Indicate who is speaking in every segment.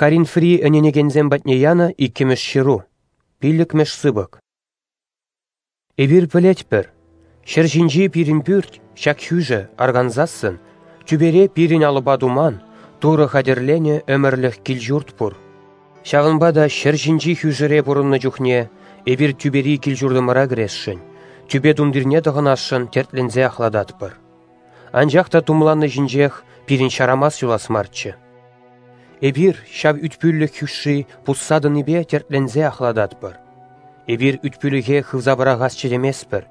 Speaker 1: Коринфри ӗненекенсем патне янӑ иккӗмӗш ҫыру, пиллӗкмӗш сыпӑк. Эпир пӗлетпӗр, ҫӗр ҫинчи пирӗн пӳрт, ҫак хӳшӗ, аркансассӑн, тӳпере пирӗн алӑпа туман, Турӑ хатӗрленӗ ӗмӗрлӗх кил-ҫурт пур. Ҫавӑнпа та ҫӗр ҫинчи хӳшӗре пурӑннӑ чухне эпир тӳпери кил-ҫуртӑмӑра кӗресшӗн, тӳпе тумтирне тӑхӑнасшӑн тертленсе ахлататпӑр. Анчах та тумланнӑ ҫинчех пирӗн ҫарамас юлас марччӗ. Эпир ҫав ӳт-пӳлӗх хӳшши пусса тӑнипе тертленсе ахлататпӑр. Эпир ӳт-пӳлӗхе хывса пӑрахасчӗ теместпӗр.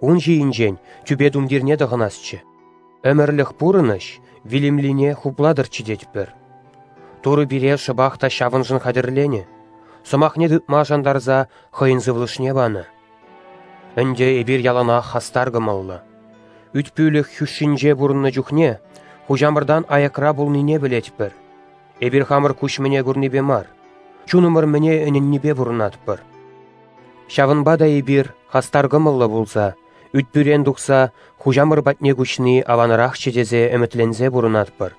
Speaker 1: Ун ҫийӗнчен тӳпе тумтирне тӑхӑнасчӗ. Ӗмӗрлӗх пурӑнӑҫ вилӗмлине хуплатӑрччӗ тетпӗр. Турӑ пире шӑпах та ҫавӑншӑн хатӗрленӗ, сӑмахне тытма шантарса хӑйӗн сывлӑшне панӑ. Ӗнтӗ эпир яланах хастар кӑмӑллӑ. Ӳт-пӳлӗх хӳшшинче пурӑннӑ чухне хуҫамӑртан аякра пулнине пӗлетпӗр. Эпир хамӑр куҫ мӗне курнипе мар, чунӑмӑр мӗне ӗненнипе пурӑнатпӑр. Ҫавӑнпа та эпир хастар кӑмӑллӑ пулса, ӳт-пӳрен тухса хуҫамӑр патне куҫни аванрахчӗ тесе ӗмӗтленсе пурӑнатпӑр.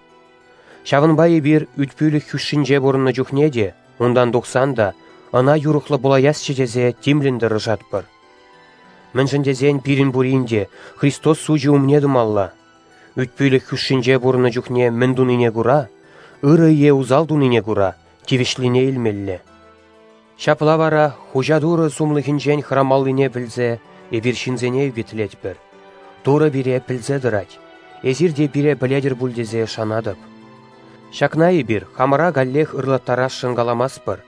Speaker 1: Ҫавӑнпа эпир ӳт-пӳлӗх хӳшшинче пурӑннӑ чухне те, унтан тухсан та ӑна юрӑхлӑ пулаясчӗ тесе тимлӗн тӑрӑшатпӑр. Мӗншӗн тесен пирӗн пурин те Христос сучӗ умне тӑмалла. Ӳт-пӳлӗх хӳшшинче пурӑннӑ чухне мӗн тунине кура, ырӑ е усал тунине кура, тивӗҫлине илмелле. Ҫапла вара Хуҫа Турӑ сумлӑхӗнчен хӑрамаллине пӗлсе эпир ҫынсене ӳкӗтлетпӗр. Турӑ пире пӗлсе тӑрать, эсир те пире пӗлетӗр пуль тесе шанатӑп. Ҫакна эпир хамӑра каллех ырлаттарасшӑн каламастпӑр.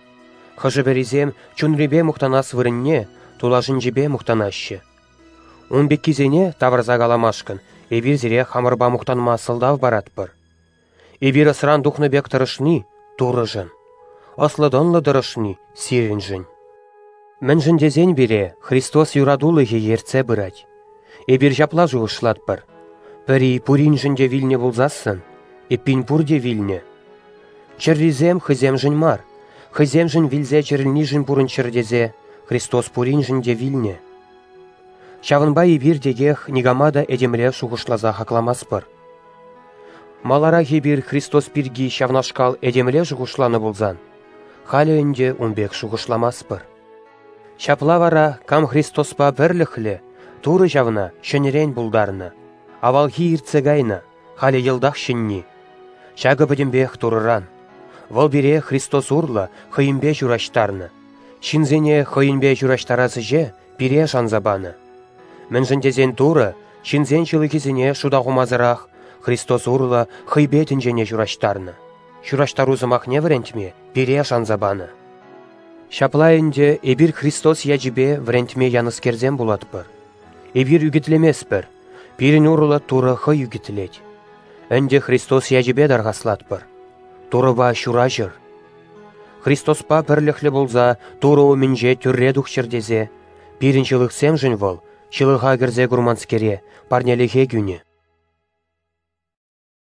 Speaker 1: Хӑшӗ-пӗрисем чунрипе мухтанас вырӑнне тулашӗнчипе мухтанаҫҫӗ. Ун пеккисене тавӑрса каламашкӑн эпир сире хамӑрпа мухтанма сӑлтав паратпӑр. Эпир ӑсран тухнӑ пек тӑрӑшни Турӑшӑн, ӑслӑ-тӑнлӑ тӑрӑшни сирӗншӗн. Мӗншӗн тесен пире Христос юратулӑхӗ ертсе пырать. Эпир ҫапла шухӑшлатпӑр: пӗри пуриншӗн те вилнӗ пулсассӑн, эппин пурте вилнӗ. Чӗррисем хӑйсемшӗн мар, хӑйсемшӗн вилсе чӗрӗлнишӗн пурӑнччӑр тесе Христос пуриншӗн те вилнӗ. Ҫавӑнпа эпир текех никама та этемле шухӑшласа хакламастпӑр. Маларах эпир Христос пирки ҫавнашкал этемле шухӑшланӑ пулсан, халӗ ӗнтӗ ун пек шухӑшламастпӑр. Ҫапла вара кам Христоспа пӗрлӗхлӗ, Турӑ ҫавна ҫӗнӗрен пултарнӑ, авалхи иртсе кайнӑ, халӗ йӑлтах ҫӗнни. Ҫакӑ пӗтӗмпех Турӑран. Вӑл пире Христос урлӑ хӑйӗнпе ҫураҫтарнӑ. Ҫынсене хӑйӗнпе ҫураҫтарас ӗҫе пире шанса панӑ. Мӗншӗн тесен Турӑ ҫынсен ҫылӑхӗсене шута хумасӑрах Христос урлӑ хӑйпе тӗнчене ҫураҫтарнӑ. Ҫураҫтару сӑмахне вӗрентме пире шанса панӑ. Ҫапла ӗнтӗ эпир Христос ячӗпе вӗрентме янӑскерсем пулатпӑр. Эпир ӳкӗтлеместпӗр, пирӗн урлӑ Турӑ хӑй ӳкӗтлет. Ӗнтӗ Христос ячӗпе тархаслатпӑр. Турӑпа ҫураҫӑр. Христоспа пӗрлӗхлӗ пулса Турӑ умӗнче тӳрре тухчӑр тесе пирӗн ҫылӑхсемшӗн вӑл ҫылӑха кӗрсе курманскере парнелӗхе кӳнӗ.